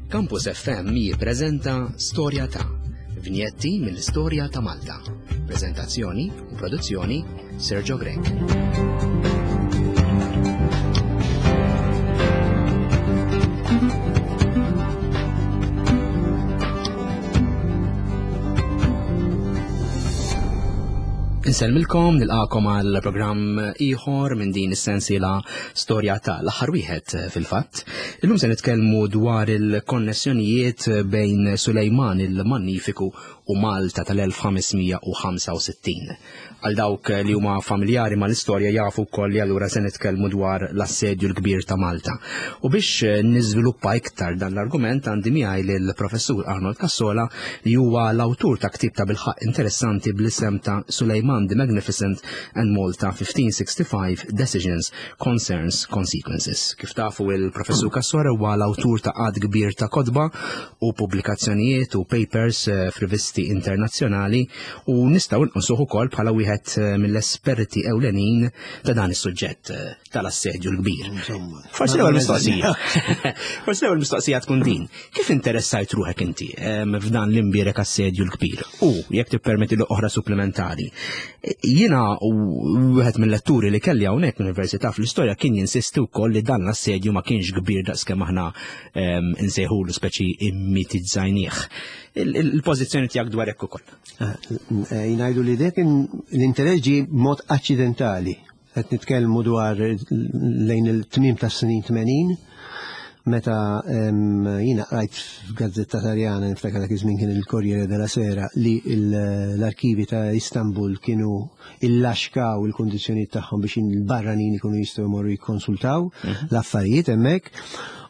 Campus FM jippreżenta Storja ta' Vinjetti mill-istorja ta' Malta. Preżentazzjoni u produzzjoni Sergio Grech. Insellmilkom, nilqakom għal programm ieħor minn din is-sensiela storja ta' l-aħħar wieħed eh, fil-fatt. Illum se nitkellmu dwar il-konnessjonijiet bejn Sulejman il-Magnifiku u Malta tal-1565. Għal dawk li huma familjari mal-istorja jafu wkoll li allura se nitkellmu dwar l-assedju l-kbir ta' Malta. U biex eh, niżviluppa iktar dan l-argument għandi miegħi lill-Professur Arnold Cassola li huwa l-awtur ta' ktieb ta' bilħaq interessanti bl-isem ta' Sulejman the Magnificent and Malta 1565 Decisions, Concerns, Consequences. Kif tafu il-Professur Cassola huwa l-awtur ta' għadd kbir ta' kotba u pubblikazzjonijiet u papers eh, f'rivisti internazzjonali u nistgħu nqisuh ukoll bħala wieħed eh, mill-esperti ewlenin ta' dan is-suġġett eh, tal-assedju l-kbir. Forsi l-ewwel mistoqsija. Forsi l-ewwel mistoqsija tkun din. Kif interessajt ruħek inti f'dan l-imbierek assedju l-kbir? U jekk tippermetti l oħra supplementari. Jiena wieħed mill-letturi li kelli hawnhekk l-Università fl-istorja kien jinsisti wkoll li dan l-assedju ma kienx kbir daqskemm aħna nsejħulu speċi immitizzajnieh. Il-pożizzjoni tiegħek dwar hekk ukoll. Eh, eh, jnajdu li dek l-interess ġie mod aċċidentali. Qed nitkellmu dwar lejn il-tmiem tas-snin 80 meta jiena qrajt f'gazzetta Taljana niftakar dak iż-żmien kien il-Corriere della Sera li l-arkivi ta' Istanbul kienu illaxkaw il-kundizzjonijiet tagħhom biex il-barranin ikunu jistgħu jmorru jikkonsultaw mhm. l-affarijiet hemmhekk.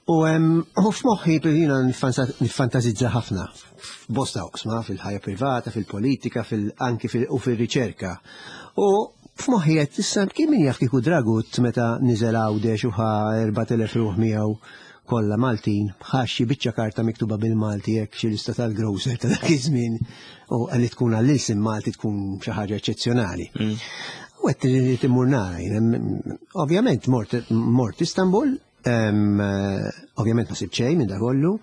U f'moħħi jiena niffantasizza ħafna f'bosta oqsma, fil-ħajja privata, fil-politika, fil-anki u fil-riċerka. U f'moħħi qed issa kien min jaf kieku Dragut meta niżel Għawdex u ħa 4000 ruħ miegħu kollha Maltin, ħa xi biċċa karta miktuba bil-Malti hekk xi lista tal-grocer ta' dak iż-żmien u li tkun għall-ilsien Malti tkun xi ħaġa eċċezzjonali. Mm. U qed immur nara, ovvjament mort Istanbul, Ovvjament ma sibt xejn minn da kollu.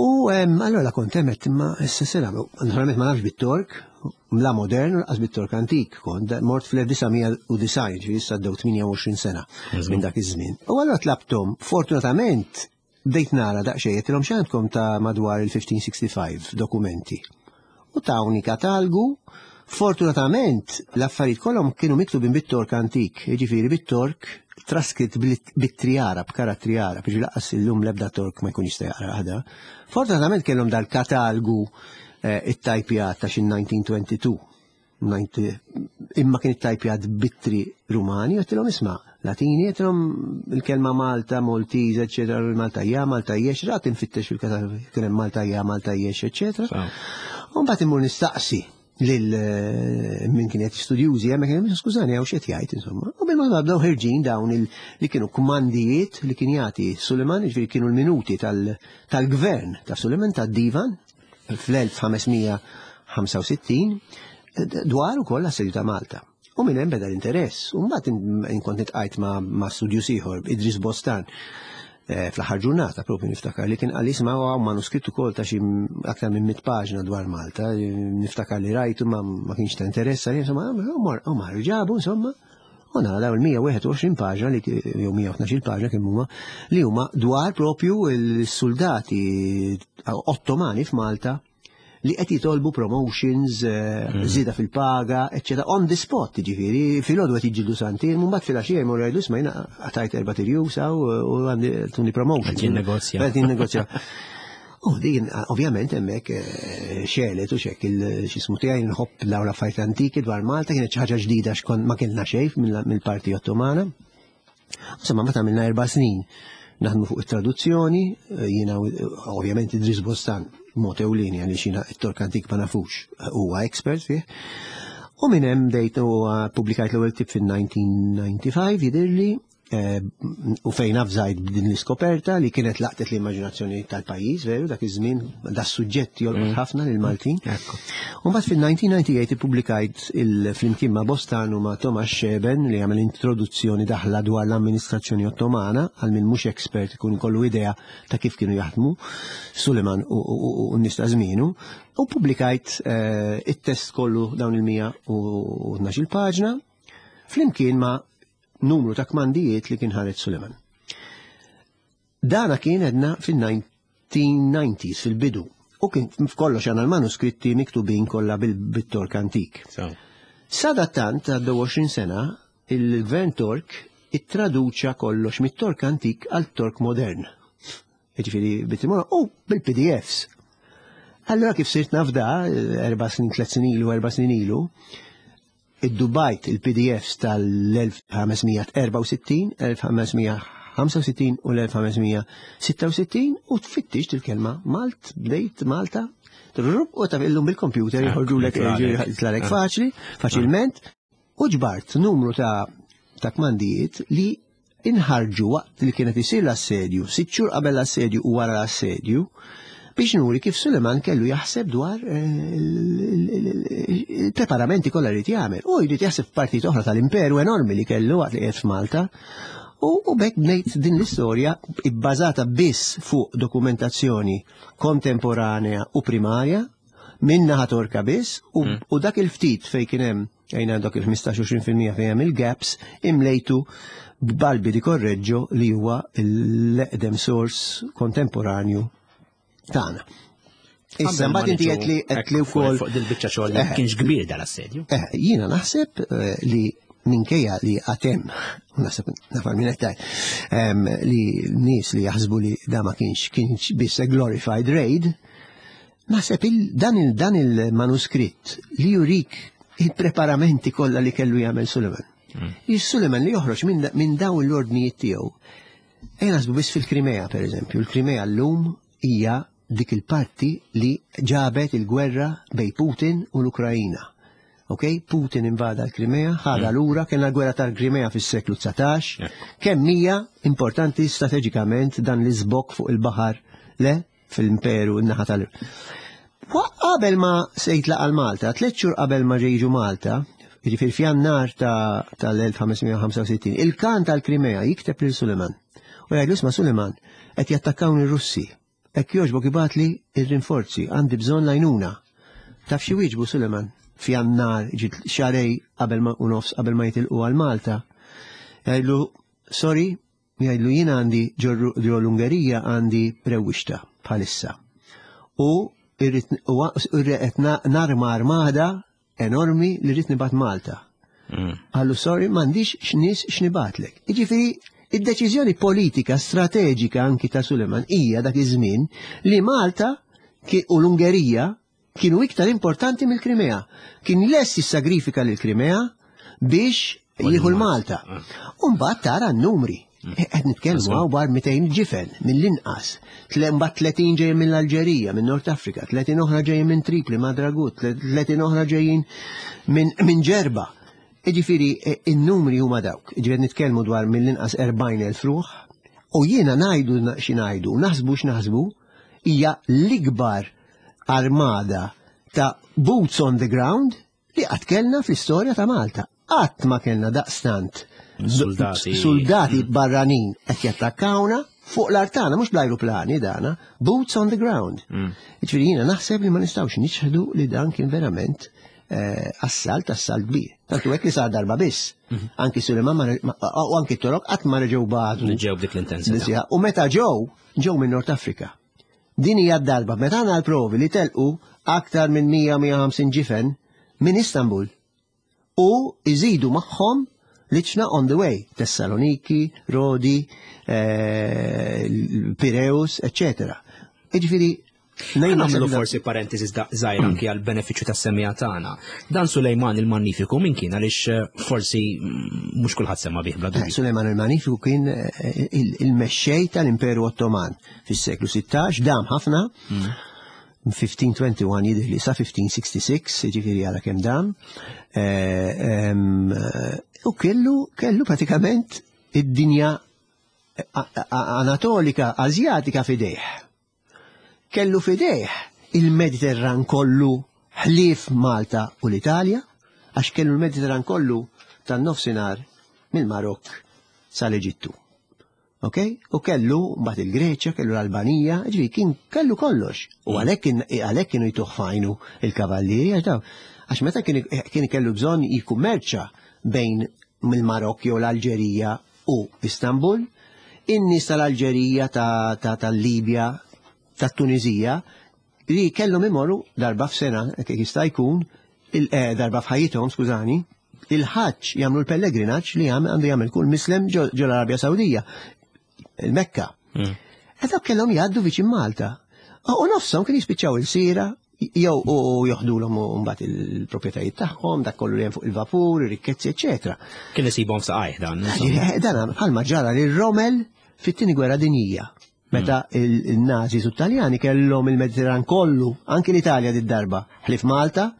U allora kont hemmhekk imma issa se nagħmlu. Naturalment ma nafx bit-Tork, la modern u lanqas bit-Tork antik. Kont mort fl-1990, ġifieri issa għaddew 28 sena minn dak iż-żmien. U allora tlabthom, fortunatament bdejt nara daqsxejn għedtilhom x'għandkom ta' madwar il-1565 dokumenti. U tawni katalgu, fortunatament l-affarijiet kollhom kienu miktubin bit-Tork antik, jiġifieri bit-Tork traskritt bit-triara, b'karattri Arab, jiġifieri laqqas illum l-ebda Tork ma jkun jista' jaqra ħda. Fortunatament kellhom dal-katalgu eh, it-tajpjat ta' xi 1922 imma kien ittajpjat bittri Rumani, għedtilhom isma' Latini, għedtilhom il-kelma Malta, Maltese, eċetera, Malta ja, Malta jex, rat infittex fil-katalog, kien hemm Malta ja, Malta jex, eċetera. U mbagħad immur nistaqsi lil eh, min kien qed studjużi hemmhekk kien skużani hawn x'qed jgħid insomma. U bil bdew ħirġin dawn li kienu kmandijiet li kien jagħti Suleiman, jiġifieri kienu l-minuti tal-gvern ta' Suleiman tad-divan fl-1565 dwar ukoll l-assedju ta' Malta. U minn hemm beda l-interess. U mbagħad inkont nitqajt ma', ma studjus ieħor, Idris Bostan, eh, fl-aħħar ġurnata propju niftakar li kien qal isma' hawn manuskritt ukoll ta' xi aktar minn mit paġna dwar Malta, niftakar li rajtu ma, ma kienx ta' interess għalih, insomma, u mar ġabu insomma. U nara dawn il-121 paġna li jew 112 paġna kemm huma li huma dwar propju l-soldati Ottomani f'Malta li qed jitolbu promotions, eh, mm. żieda fil-paga, eċċetera, on the spot, ġifieri, filgħodu qed jiġġieldu santin, mbagħad filgħaxija jmorru jgħidu isma' jiena qatajt erba' tirjus u għandi tuni promotion. Qed jinnegozja. Qed jinnegozja. U din, ovvjament, hemmhekk eh, xelet u xek il-xismu tiegħi nħobb dawn l-affarijiet antiki dwar Malta kienet xi ħaġa ġdida xkont ma kellna xejn mill-parti Ottomana. Insomma, meta għamilna erba' snin naħdmu fuq it-traduzzjoni, eh, jiena ovvjament Idris Bostan mod ewlieni għaliex jiena it-Tork antik ma nafux huwa expert fih. U minn hemm bdejt u pubblikajt l-ewwel tip fin-1995 jidhirli. u fejn avżajt b'din l-iskoperta li kienet laqtet l-immaġinazzjoni tal-pajjiż, veru, dak iż-żmien da suġġett jolqot ħafna lil Maltin. U mbagħad fil-1998 ippubblikajt flimkien ma' Bostan u ma' Thomas Scheben li għamel introduzzjoni daħla dwar l-amministrazzjoni Ottomana għal min mhux expert ikun kollu idea ta' kif kienu jaħdmu Suleiman u n-nies ta' żmienu, u pubblikajt it-test kollu dawn il-112 paġna flimkien ma' numru ta' kmandijiet li kien ħareġ Suleiman. Dana kien edna fil-1990s, fil-bidu, u kien f'kollox għandna l-manuskritti miktubin kollha bil-Tork antik. Sadattant, għaddew 20 sena, il-gvern Tork ittraduċa kollox mit-Tork antik għal Tork modern. Jiġifieri bit-timora u bil-PDFs. Allora kif sirt nafda, 4 snin, 3 snin ilu, 4 snin ilu, iddubajt il-PDFs tal-1564, 1565 u l-1566 u tfittixt il-kelma Malt, bdejt Malta, trrub, u taf illum bil-computer jħorġulek jitlagħlek faċli, faċilment, u ġbart numru ta' kmandijiet li inħarġu waqt li kienet isir l-assedju, 6 xhur qabel l-assedju u wara l-assedju, biex nuri kif Suleiman kellu jaħseb dwar il-preparamenti kollha li jagħmel. U jrid jaħseb f'partit oħra tal-imperu enormi li kellu waqt li qiegħed f'Malta. U bekk bnejt din l-istorja bbażata biss fuq dokumentazzjoni kontemporanea u primarja minn naħa Torka biss u dak il-ftit fejn kien hemm għajna dak il-ħmistax u għoxrin fil-mija fejn hemm il-gaps imlejtu b'Balbi di Correggio li huwa l-eqdem source kontemporanju tagħna. Issa mbagħad inti qed li qed li wkoll fuq dil-biċċa xogħol li kienx kbir dal-assedju. Jiena naħseb li minkejja li għatem, naħseb nafar minn qed tgħid, li nies li jaħsbu li da ma kienx biss a glorified raid, naħseb dan il-manuskritt li jurik il-preparamenti kollha li kellu jagħmel Suleiman. Il-Suleiman li joħroġ minn dawn l-ordnijiet tiegħu. Ejja naħsbu biss fil-Krimea, per eżempju. Il-Krimea llum hija dik il-parti li ġabet il-gwerra bej Putin u l-Ukrajina. Ok? Putin invada l-Krimea, ħada lura, kellna l-gwerra tal-Krimea fis-seklu 19, kemm hija importanti strateġikament dan l-iżbokk fuq il-baħar le fil-imperu n-naħa tal- Qabel ma se jitlaq għal Malta, 3 xhur qabel ma ġejġu Malta, jiġifieri f'Jannar tal-1565, il-kan tal-Krimea jikteb lil Suleiman. U jgħidlu, isma' Suleiman, qed jattakkawni r-Russi. Hekk jogħġbok ibgħatli r-rinforzi, għandi bżonn l-għajnuna. Taf xi wieġbu Suleiman f'Jannar, ġiet xarej qabel ma u nofs qabel ma jitilqu għal Malta. Jgħidlu, sorry, jgħidlu jien għandi ġo l-Ungerija għandi rewwixta bħalissa. U irrid narma armada enormi li rrid nibgħat Malta. Għallu, sorry, m'għandix x'nies x'nibatlek. Jiġifieri, id-deċiżjoni politika strateġika anki ta' Suleiman hija dak iż-żmien li Malta u l-Ungerija kienu iktar importanti mill-Krimea. Kien lest jissagrifika lill-Krimea biex jieħu l-Malta. U mbagħad tara n-numri. Qed nitkellmu hawn bar 200 ġifen mill-inqas. Mbagħad 30 ġejjin mill-Alġerija, minn Nord Afrika, 30 oħra ġejjin minn Tripli, Madragut, 30 oħra ġejjin minn Ġerba. Jiġifieri, in-numri huma dawk. Jiġifieri nitkellmu dwar mill-inqas 40,000 ruħ. U jiena ngħidu xi ngħidu, naħsbu x'naħsbu, hija l-ikbar armada ta' boots on the ground li qatt kellna fl-istorja ta' Malta. Qatt ma kellna daqstant soldati, soldati barranin qed jattakkawna fuq l-artana, mhux bl-ajruplani dana, boots on the ground. Jiġifieri jiena naħseb li ma nistgħux niċħdu li dan kien verament assalt kbir. Tantu hekk li sar darba biss. Anki Suleiman u anki Torok qatt ma reġgħu bagħtu. Ġew b'dik l-intensità. Nisja. U meta ġew, ġew minn Nord Afrika. Din hija d-darba meta għandna l-provi li telqu aktar minn mija mija ħamsin ġifen minn Istanbul u iżidu magħhom liċna on the way, Tessaloniki, Rodi, Pireus, eccetera. Jiġifieri, Nejn nagħmlu forsi parentesi żgħira anki għal benefiċċju tas-semija tagħna. Dan Sulejman il-Magnifiku min kien għaliex forsi mhux kulħadd sema bih bla dubju. Sulejman il-Magnifiku kien il-mexxej tal-Imperu Ottoman fis-seklu 16, dam ħafna. 1521 jidher li sa 1566, jiġifieri għala kemm dam. U kellu pratikament id-dinja Anatolika, Azjatika f'idejh. Kellu f'idejh il-Mediterran kollu ħlief Malta u l-Italja, għax kellu l-Mediterran kollu tan-nofsinhar mill-Marokk sal-Eġittu. Ok? U kellu mbagħad il-Greċja, kellu l-Albanija, ġifieri kien kellu kollox. U għalhekk għalhekk kienu jtuh fajnu il-kavallieri għax daw. Għax meta kien kellu bżonn jikkummerċa bejn mill-Marokk jew l-Alġerija u Istanbul, in-nies tal-Alġerija, tal-Libja, tat-Tunizija, li kellhom imorru darba f'sena, kif jista' jkun, eh, darba f'ħajjithom, skużani, il-ħaġġ jagħmlu l-pellegrinaġġ li għandu jagħmel kull mislem ġo l-Arabja Sawdija, il-Mekka. Edak mm. kellhom jgħaddu viċin Malta. U nofshom kien jispiċċaw il-sira, jew u joħdulhom mbagħad il-proprjetajiet tagħhom, dak kollu li hemm fuq il-vapur, ir-rikkezzi, eċetera. Kien isibhom saqajh dan. Eh, dan bħalma ġara lil Romel fit-tieni gwerra dinjija. Meta hmm. il-Nazis u Taljani kellhom il-Mediterran kollu, anki l-Italja did-darba, ħlif Malta,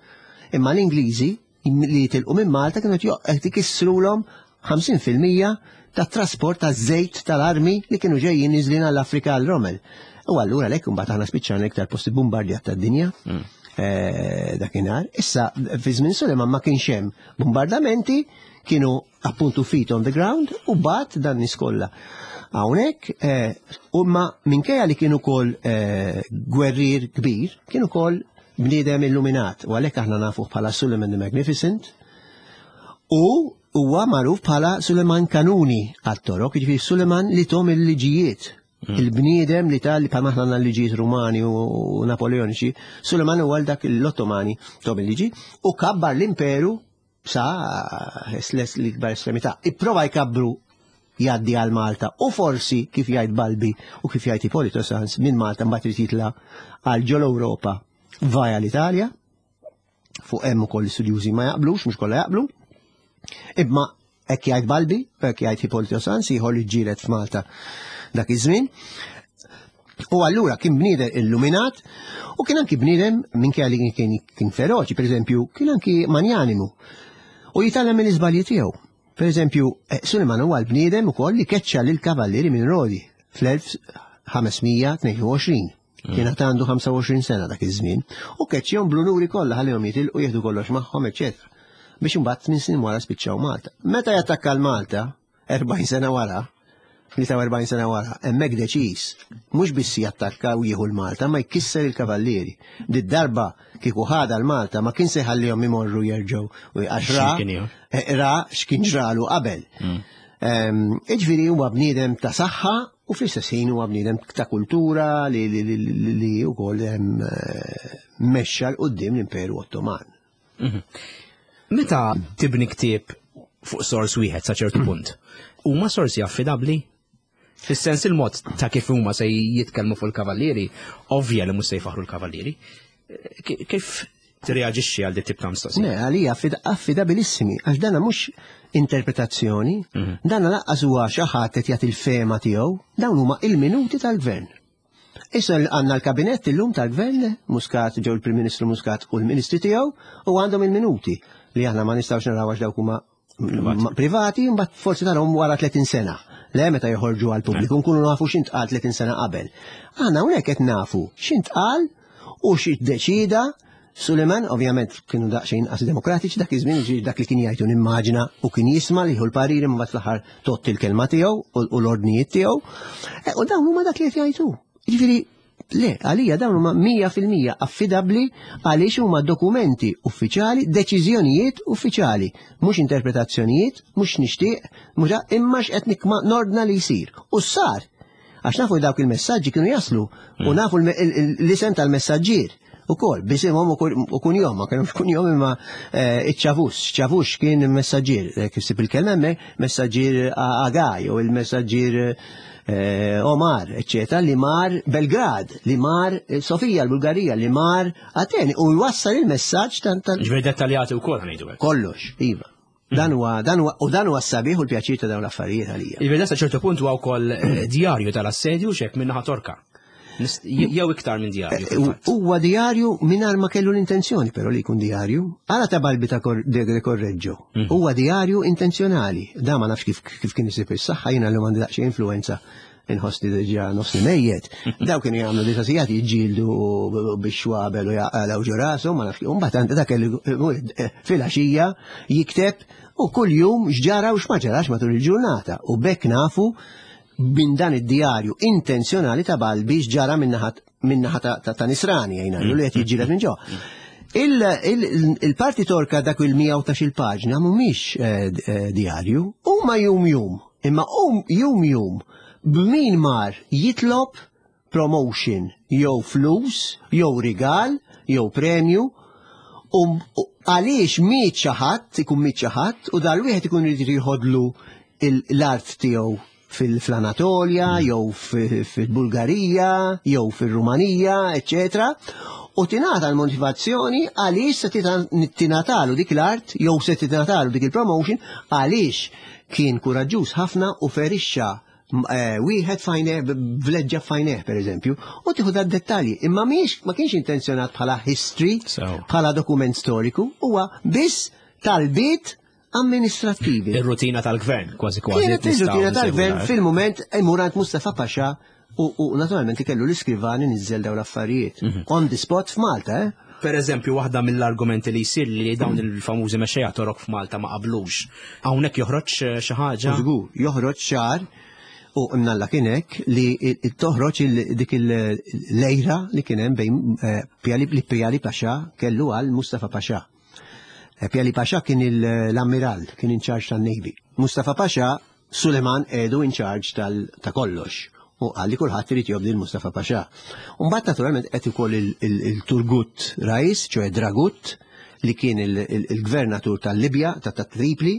imma l-Ingliżi li jitilqu minn Malta kienu qed ikissrulhom 50% tat-trasport taż-żejt tal-armi li kienu ġejjin niżlin għall-Afrika għal Rommel. U allura lek imbagħad aħna spiċċajna iktar posti bombardjat tad-dinja mm. eh, dakinhar. Issa fi żmien Suleiman ma kienx hemm bombardamenti, kienu appuntu feet on the ground u bat dan nies kollha. Hawnhekk eh, u ma minkejja li kien ukoll eh, gwerrier kbir, kien ukoll bniedem illuminat u għalhekk aħna nafuh bħala Suleiman the Magnificent u huwa magħruf bħala Suleiman Kanuni għat-Torok, jiġifieri Suleiman li tom il-liġijiet. Mm. Il-bniedem li tal bħal aħna għandna liġijiet Rumani u Napoleoniċi, Suleiman huwa dak l-Ottomani tom il-liġi u kabbar l-imperu sa l-ikbar estremità. Ipprova jkabbru jgħaddi għal Malta u forsi kif jgħid Balbi u kif jgħid Ippolito Sans minn Malta mbagħad irid jitla' għal ġol Ewropa vaja l-Italja fuq hemm ukoll studjużi ma jaqblux, mhux kollha jaqblu. Imma hekk jgħid Balbi, hekk jgħid Ippolito Sans, ieħor li ġġieled f'Malta dak iż-żmien. U allura kien bniedem illuminat u kien anki bniedem minkejja li kien kien feroċi, per eżempju, kien anki manjanimu. U jitgħallem mill-iżbalji tiegħu. Per eżempju, eh, Suleiman huwa l-bniedem ukoll li keċċa lil kavallieri minn Rodi fl-1522. Mm. Kien għandu 25 sena dak iż-żmien u keċċihom bl-unuri kollha ħallihom jitilqu jieħdu kollox magħhom, eċetera. Biex imbagħad tmien snin wara spiċċaw Malta. Meta jattakka l-Malta, 40 sena wara, 43 sena wara, hemmhekk deċiż mhux biss jattakka u jieħu l-Malta, ma jkisser il-kavallieri. Did darba kieku ħada l-Malta ma kien se jħallihom imorru jerġgħu u għax ra eh, ra x'kien ġralu qabel. Mm. Ehm, iġifieri huwa bniedem ta' saħħa u fl-istess ħin huwa bniedem ta' kultura li li wkoll ehm, eh, mexxa l qudiem l-Imperu Ottoman. Mhm. Meta tibni ktieb fuq sors wieħed sa ċertu punt, huma sorsi affidabbli? Fis-sens il-mod ta' kif huma se jitkellmu fuq il-kavallieri, ovvja li mhux se jfaħru l-kavallieri. Kif tirreaġixxi għal dit tip ta' mistoqsija? Le, għalija affidabilissimi, għax dana mhux interpretazzjoni, mhm. dana laqqas huwa xi ħadd qed jagħti l-fema tiegħu, dawn huma il-minuti tal-gvern. Issa għandna l-kabinett illum tal-gvern, Muscat, ġew il-Prim Ministru Muscat u l-Ministri tiegħu, u għandhom il-minuti li aħna ma nistgħux naraw għax dawk huma privati, mbagħad forsi tarahom wara 30 sena. Le meta joħorġu għal pubbliku nkunu nafu x'intqal 30 sena qabel. Aħna hawnhekk qed nafu x'intqal u x'iddeċida Suleiman, ovvjament kienu daqsxejn inqas demokratiċi dak iż-żmien, ġifieri dak li kien jgħid u nimmaġina u kien jisma' li jieħu l-pariri mbagħad fl-aħħar totti l-kelma tiegħu u l-ordnijiet tiegħu. E, u dawn huma dak li qed jgħidu. Ġifieri le, għalija dawn huma 100% affidabbli għaliex huma dokumenti uffiċjali, deċiżjonijiet uffiċjali, mhux interpretazzjonijiet, mhux nixtieq, mhux imma x'qed nikma nordna li jsir. U sar Għax nafu dawk il-messaġġi kienu jaslu u mm. nafu l-isem tal-messaġġier u kol, bisimhom u kunjom, ma kienux kunjom imma eh, iċ-ċavus, ċavus kien messaġġier, eh, kif sib il-kelma hemmhekk, messaġġier Agaj u il-messaġġier eh, Omar, eccetera, li mar Belgrad, li mar Sofija, l-Bulgarija, li mar Ateni, u jwassal il-messaġġ tal. Ġifieri dettaljati wkoll ngħidu Kollox, iva. Dan huwa dan huwa u dan huwa s-sabiħ u l-pjaċir ta' dawn l-affarijiet għalija. Jiġifieri sa ċertu punt huwa wkoll eh, djarju tal-assedju xek minn naħa Torka. Jew iktar minn djarju. Eh, huwa djarju mingħajr ma kellu l-intenzjoni però li jkun djarju. Għala ta' Balbi ta' de Correggio. Mhm. Huwa djarju intenzjonali. Da ma nafx kif kien isib is-saħħa jiena l għandi daqsxejn influenza inħossni diġà nofsni mejjet. Daw kienu jagħmlu disa sigħat jiġġieldu biex xwabel u jaqalgħu ġo rashom, ma nafx. Mbagħad għandi dak eh, filgħaxija jikteb u kuljum x'ġara u x'ma ġarax matul il-ġurnata. U bekk nafu minn dan id-djarju intenzjonali ta' Balbi x'ġara min-naħa ta' Nisrani jgħinna li qed jiġġieled minn ġo. Il-parti torka dak il-100 il paġna mhumiex eh, eh, djarju, huma jum jum, imma hum jum jum b'min mar jitlob promotion jew flus, jew rigal, jew premju, u għaliex miet xi ħadd, ikun miet xi ħadd, u dal-wieħed ikun irid jieħodlu l-art tiegħu fil-Anatolja, mm. jew fil-Bulgarija, jew fil-Rumanija, eccetera. U tingħata l-motivazzjoni għaliex se tingħatalu dik l-art jew se tingħatalu dik il-promotion għaliex kien kuraġġuż ħafna u ferixxa eh, wieħed fajneh vleġġa fajneh pereżempju, u tieħu da dettalji. Imma mhix ma kienx intenzjonat bħala history, bħala dokument storiku, huwa biss talbiet amministrattivi. Ir-rutina tal-gvern, kważi kważi. Kienet ir-rutina tal-gvern fil-moment imur għand Mustafa Pasha u naturalment kellu l-iskrivani nizzel dawn l-affarijiet. Mhm. On the spot f'Malta, eh? Per eżempju, waħda mill-argumenti li jsir li dawn il-famużi mexxejja torok f'Malta ma qablux. Hawnhekk joħroġ eh, xi ħaġa. Żgur, joħroġ ċar u mnalla kien hekk li toħroġ dik il-lejra li kien hemm bejn eh, li Pjali Pasha kellu għal Mustafa Pasha. Eh, Pjali Pasha kien l-ammiral, kien in charge tan-Navy. Mustafa Pasha Suleman edu in charge ta' kollox u qal li kulħadd irid jobdi l-Mustafa Pasha. Mbagħad naturalment qed ukoll il-Turgut Rais, ċoe Dragut, li kien il-gvernatur tal-Libja, ta' Tripli,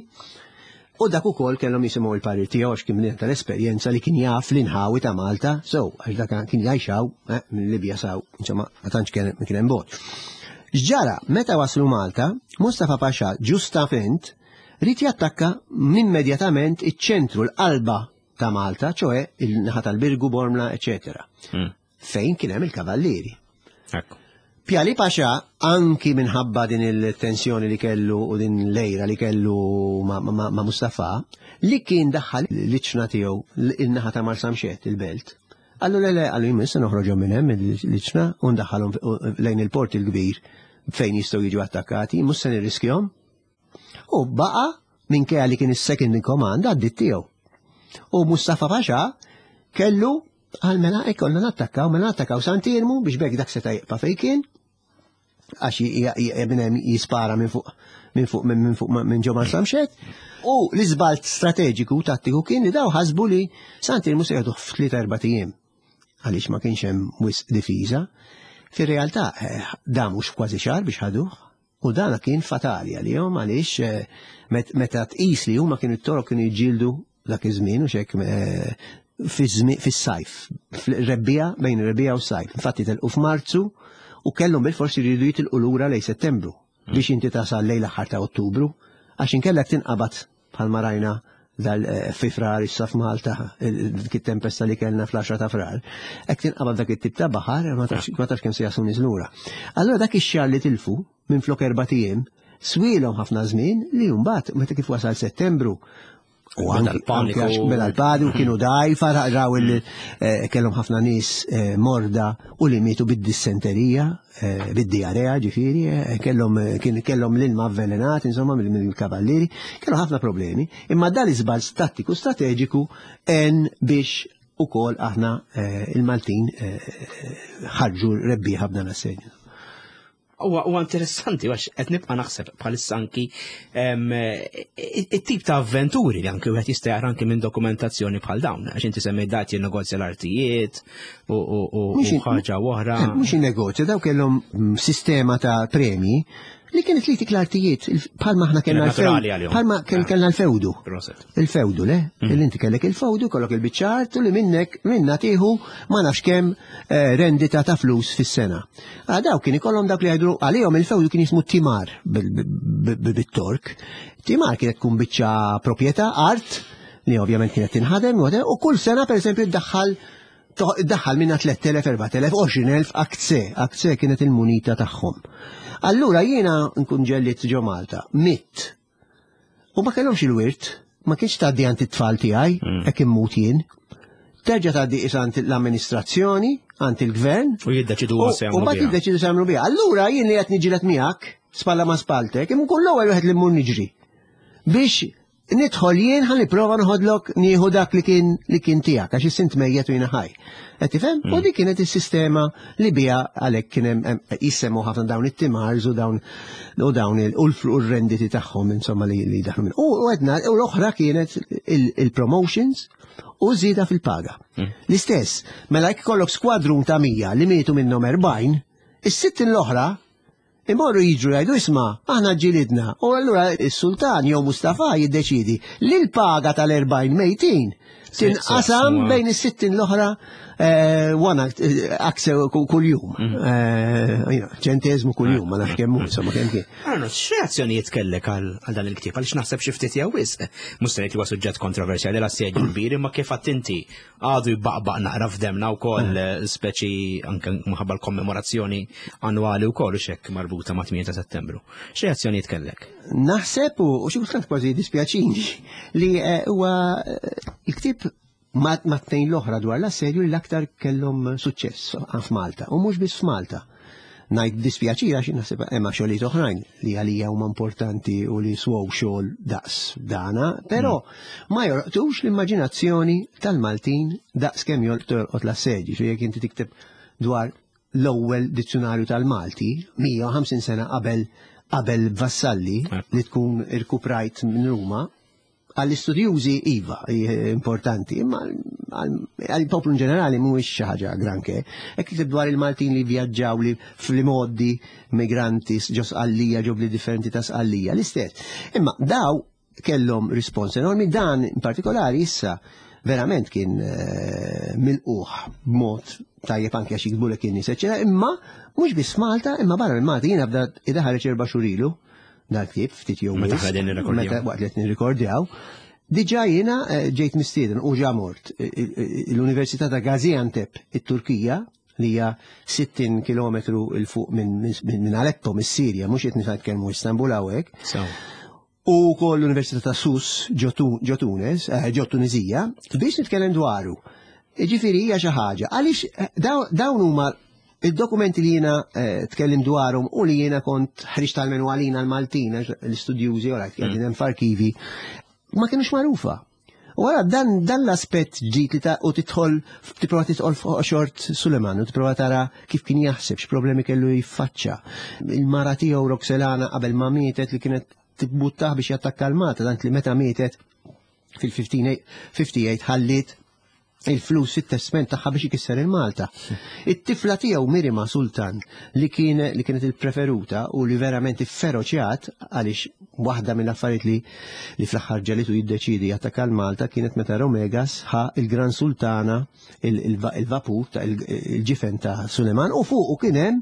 u dak ukoll kellhom jisimgħu il-parir tiegħu għax kien bniedem tal-esperjenza li kien jaf l-inħawi ta' Malta, so għax dak kien jgħixaw eh, minn Libja saw, insomma, ma tantx kien hemm bogħod. X'ġara, meta waslu Malta, Mustafa Pasha ġustament ried jattakka immedjatament iċ-ċentru l-qalba ta' Malta, ċoe il-naħa tal-Birgu, Bormla, eċetera. Hmm. Fejn kien hemm il-kavallieri. Ekku. Pjali Paxa, anki minħabba din il-tensjoni li kellu u din l-ejra li kellu ma, ma, ma Mustafa, li kien daħħal l-iċna tiegħu il-naħa ta' Marsamxett, il-belt. Għallu le le, għallu jmiss noħroġhom minn hemm l-iċna u ndaħħalhom lejn il-port il-kbir fejn jistgħu jiġu attakkati, mhux se nirriskjhom. U baqa minkejja li kien is-second in command għaddit tiegħu. U Mustafa Pasha kellu għal mela ikollna nattakkaw, mela nattakkaw Sant'Iermu biex bekk dak seta' jibqa' fejn kien għax minn jispara minn fuq minn fuq minn fuq minn ġo Marsamxett. U l-iżbalt strateġiku tattiku kien li daw ħasbu li Sant'Iermu se jagħtuh f'tliet erba' ijiem għaliex ma kienx hemm wisq difiża. Fir-realtà eh, damu kważi xahar biex ħaduh U dana kien fatali għalihom għaliex eh, meta tqis li huma kienu t-torok kienu jiġġieldu dak iż-żmien u xek eh, fis-sajf, fil-rebbija bejn ir-rebbija u s-sajf. Infatti telqu f'Marzu u kellhom bil-forsi jridu jitilqu lura lej Settembru biex inti tasal lejn l-aħħar ta' Ottubru għax inkellek tinqabad bħalma rajna dal eh, fi frar issa f'Malta dik it-tempesta li kellna fl-10 ta' frar. Hekk tinqabad dak it-tip ta' baħar ma tafx kemm se jaslu nies lura. Allura dak ix-xahar li tilfu minn flok erba' ijiem swielhom ħafna żmien li mbagħad meta kif wasal Settembru u anki għax beda l-padu kienu dajfa raw il eh, kellhom ħafna nies eh, morda u li mietu bid-dissenterija Eh, bid-diarea ġifieri, eh, kellhom eh, kellhom l-ilma avvelenat insomma mill-kavallieri, kellhom ħafna problemi, imma dan iżbal tattiku strateġiku en biex ukoll aħna il-Maltin ħarġu rebbieħa b'dan assedju. Huwa interessanti għax qed nibqa' naħseb bħalissa anki it-tip ta' avventuri li anki wieħed jista' jara anki minn dokumentazzjoni bħal dawn, għax inti semmejt dat jinnegozja l-artijiet u ħaġa oħra. Eh, mhux jinnegozja, daw kellhom mm, sistema ta' premji li kienet li tik l-artijiet bħalma aħna kellna l-fewdu. Bħalma ah. kellna l-fewdu. Il-fewdu, le? Mm. Il inti kellek il-fewdu, kollok il-biċċart u li minnek minna tieħu ma nafx kemm eh, rendita ta' flus fis-sena. Ah, daw kien ikollhom dak li jgħidu għalihom il-fewdu kien jismu timar bit-Tork. Timar kienet tkun biċċa proprjetà, art, li ovvjament kienet tinħadem, u kull sena pereżempju ddaħħal Daħħal minna 3000, 4000, 20,000 akce, akce kienet il-munita tagħhom. Allura jiena nkun ġellit ġo Malta, mitt. U ma kellhomx il-wirt, ma kienx tgħaddi għand it-tfal tiegħi, hekk immut jien. Terġa' tgħaddi is għand l-amministrazzjoni, għand il-gvern. U jiddeċidu huwa se U mbagħad jiddeċidu se jagħmlu biha. Allura jien li qed niġilet miegħek, spalla ma' spaltek, imma nkun l-ewwel wieħed li mmur niġri. Biex nidħol jien ħa nipprova noħodlok nieħu dak li kien li kien tiegħek għax issint mejjet u jiena ħaj. Qed tifhem? U dik kienet is-sistema li biha għalhekk kien hemm jissemmu ħafna dawn it-timars u dawn u dawn il u l-renditi tagħhom insomma li li daħlu minn. U għedna u l-oħra kienet il-promotions u żieda fil-paga. L-istess, mela jekk ikollok skwadrun ta' 100 li mietu minnhom 40, is-60 l-oħra Imorru jiġru jgħidu isma' aħna ġġilidna u allura s-sultan jew Mustafa jiddeċiedi li l-paga tal-40 mejtin tinqasam bejn is-60 l-oħra wana akse kuljum. Ċenteżmu kuljum, ma nafx kemm hu, insomma kemm kien. Arnold, x'reazzjonijiet kellek għal dan il-ktieb? Għaliex naħseb xi ftit jew wisq. Mhux se ngħid li huwa suġġett kontroversjali l-assedju kbir, imma kif għedt inti għadu jbaqbaq naqra f'demna wkoll, speċi anke minħabba l-kommemorazzjoni annwali wkoll u xekk marbuta ma' 8 ta' Settembru. X'reazzjonijiet kellek? Naħseb u xi kultant kważi dispjaċini li huwa il-ktieb ma' tnejn l-oħra dwar l-assedju li l-aktar kellhom suċċess f'Malta u mhux biss f'Malta. Ngħid dispjaċir għax naħseb hemm xogħlijiet oħrajn li għalija huma importanti u li swow xogħol daqs dana, però ma jolqtux l-immaġinazzjoni tal-Maltin daqs kemm jolqtu jolqot l-assedju. Xi jekk inti tikteb dwar l-ewwel dizzjunarju tal-Malti 150 sena qabel qabel Vassalli li tkun irkuprajt minn Ruma, għall-istudjużi iva, importanti, imma għall-poplu in ġenerali mhuwiex xi ħaġa granke. Hekk tikteb dwar il-Maltin li vjaġġaw li fl-imgħoddi migranti ġo Sqallija, ġo bliet differenti ta' Sqallija, l-istess. Imma daw kellhom rispons enormi, dan in partikolari issa verament kien milquh b'mod tajjeb anke għax jiktbulek in-nies, eċċetera, imma mhux biss Malta, imma barra minn Malta. Jiena bda idaħareġ 4 xhur ilu dal-ktieb, ftit jew Meta wisq, aħna qegħdin nirrekordjaw. meta waqt li qed nirrekordjaw, diġà jiena ġejt mistieden u ġa mort l-Università ta' Gaziantep, it-Turkija, li hija 60 kilometru 'l fuq minn Aleppo, mis-Sirja, mhux qed nitkellmu Istanbul hawnhekk. U wkoll l-Università ta' Sus ġo Tunes, ġo Tunizija, biex nitkellem dwaru. Jiġifieri hija xi ħaġa, għaliex dawn huma id-dokumenti li jiena tkellim dwarhom u li jiena kont ħriġt tal-menu għalina l-Maltin, għax l-istudjużi, ora, qegħdin hemm f'arkivi, ma kienux magħrufa. U għara dan l-aspett ġdid li ta' u tidħol, tipprova tidħol fuq xort Suleman u tipprova tara kif kien jaħseb, x'problemi kellu jiffaċċa. Il-mara tiegħu Roxelana qabel ma mietet li kienet tibbuttah biex jattakka l-Malta, tant li meta mietet fil-58 ħalliet il-flus fit-testment tagħha biex ikisser il-Malta. It-tifla tiegħu Mirima Sultan li kien li kienet il-preferuta u li verament ifferoċjat għaliex waħda mill-affarijiet li fl-aħħar ġelitu jiddeċidi jattakka l-Malta kienet meta Romegas ħa il-Gran Sultana il-vapur ta' il-ġifen ta' Suleman u fuqu kien hemm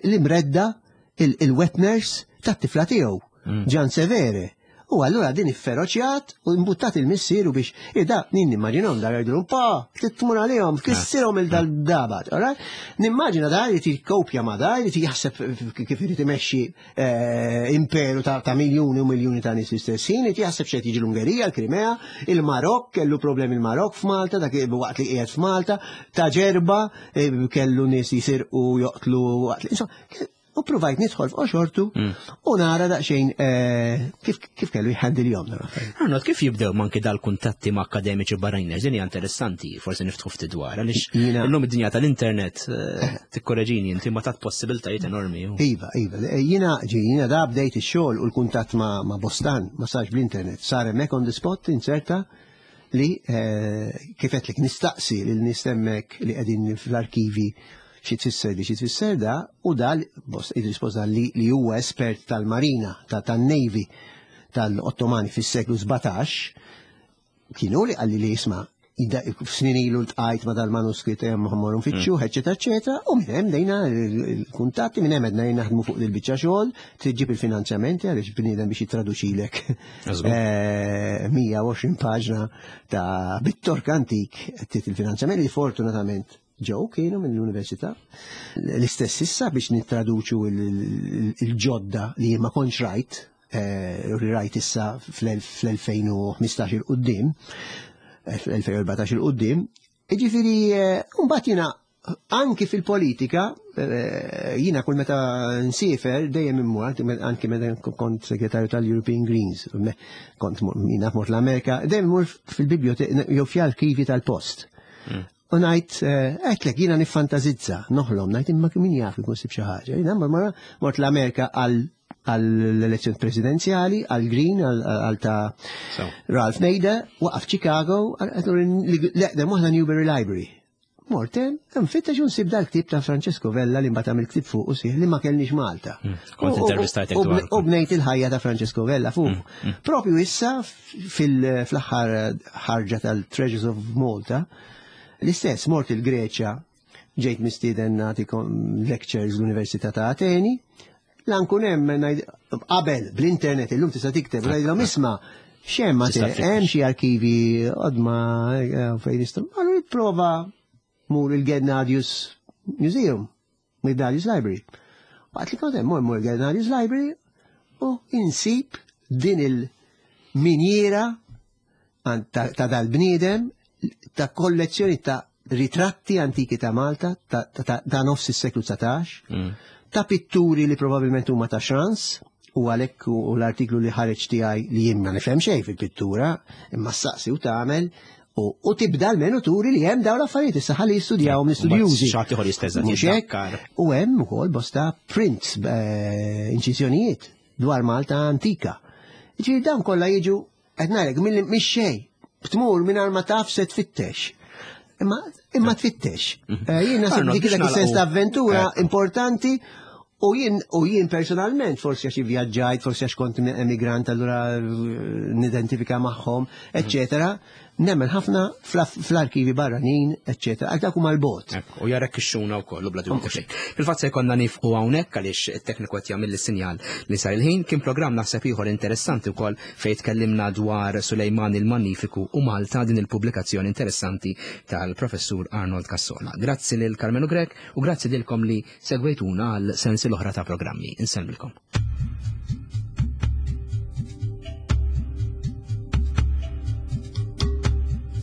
l-imredda il-wet nurse tat-tifla tiegħu, Ġan Severe. U allura din ifferoċjat u imbuttat il-missieru biex ida nin nimmaġinhom dar jgħidulhom pa, titmur għalihom, kissirhom il-dal-dabat, all right? Nimmaġina da jrid jikkopja ma da, jrid jaħseb kif irid imexxi imperu ta' miljuni u miljuni ta' nies fl-istess ħin, irid jaħseb x'qed jiġi l-Ungerija, l-Krimea, il-Marokk, kellu problemi il-Marokk f'Malta, dak waqt li qiegħed f'Malta, ta' Ġerba kellu nies jisirqu joqtlu waqt li, insomma, u provajt nidħol fuq xortu u nara daqsxejn kif kellu jħandil jom dan l-affarijiet. Arnold, kif jibdew manki dal-kuntatti ma' akademiċi barranin? Din hija interessanti, forsi niftħu ftit dwar, għaliex illum id-dinja tal-internet tikkoreġini inti ma tat possibiltajiet enormi. Iva, iva. Jiena ġi, jiena da bdejt ix-xogħol u l-kuntatt ma' Bostan, ma sarx bl-internet, sar hemmhekk on the spot inserta li kif qed lek nistaqsi lil nies hemmhekk li qegħdin fl-arkivi xi tfisser di, xi tfisser da, u dal, bost, id-risposta li huwa espert tal-marina, tan-Navy tal-Ottomani fis-seklu 17, kienu li qalli li jisma', Snin ilu ltqajt ma dal-manuskritt hemm ħammorru nfittxu, eċetera, eċetera, u minn hemm dejna il-kuntatti, minn hemm qed naħdmu fuq il-biċċa xogħol, trid ġib il-finanzjamenti għaliex bniedem biex jittraduċilek 120 paġna ta' bit-Tork antik trid il-finanzjament li fortunatament ġew kienu mill-università. L-istess issa biex nittraduċu il-ġodda li ma kontx rajt, li rajt issa fl-2015 il-qoddim, fl-2014 il-qoddim, Ġifieri, mbagħad jiena anki fil-politika, jiena kull meta nsiefer dejjem immur, anki meta kont segretarju tal-European Greens, kont jiena mort l-Amerika, dejjem immur fil-biblioteka jew fl-arkivi tal-post. U ngħid, għedtlek, jiena niffantazizza, noħlom, ngħid imma min jaf ikun sib xi ħaġa. Jiena mort l-Amerika għall-elezzjoni presidenzjali, għall-Green, għal ta' Ralph Nader, waqaf Chicago, l-eqdem waħda Newberry Library. Mort hemm, nfittex u nsib dal-ktieb ta' Francesco Vella li mbagħad għamil ktieb fuq u sieħ li ma kellniex Malta. Kont intervistajtek dwar. U bnejt il-ħajja ta' Francesco Vella fuq. Propju issa fl-aħħar ħarġa tal-Treasures of Malta, l-istess mort il-Greċja, ġejt mistieden nagħti lectures l-Università ta' Ateni, la nkun hemm qabel bl-internet illum tista' tikteb ngħidilhom isma' x'hemm hemm xi arkivi qodma fejn nistgħu. Allura prova mur il-Gennadius Museum, Gennadius Library. Waqt li kont hemm mur il-Gennadius Library u insib din il-minjera ta' dal-bniedem ta' kollezzjoni ta' ritratti antiki ta' Malta ta' nofs is-seklu 19, ta' pitturi li probabilment huma ta' Schranz, u għalhekk u l-artiklu li ħareġ tiegħi li jien ma nifhem xejn fil-pittura, imma ssaqsi u tagħmel u tibda almenu turi li hemm dawn l-affarijiet issa ħalli jistudjawhom l-istudjużi. Xi ieħor jisteza Mhux hekk? U hemm ukoll bosta prints, inċiżjonijiet dwar Malta antika. Ġifieri dawn kollha jiġu qed ngħidlek mix xejn, tmur mingħajr ma taf se tfittex. Imma tfittex. Jien naħseb dik dak is-sens ta' avventura importanti u jien personalment forsi għax ivvjaġġajt, forsi għax kont emigrant allura nidentifika magħhom, eċċetera. Nemmen ħafna fl-arkivi barranin, eċċetera. Għal dak huma l-bot. U jarek ixxuna wkoll u bla dubju ta' xejn. Fil-fatt se jkollna nifqu hawnhekk għaliex it-tekniku qed jagħmel is-sinjal li sar il-ħin. Kien programm naħseb ieħor interessanti wkoll fejn tkellimna dwar Sulejman il-Magnifiku u Malta, din il-pubblikazzjoni interessanti tal-professur Arnold Cassola. Grazzi lil Karmenu Grech u grazzi lilkom li segwejtuna għal sensi l-oħra ta' programmi. Insellmilkom.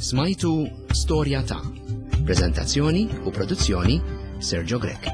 Smajtu Storja ta' Prezentazzjoni u produzzjoni Sergio Grech.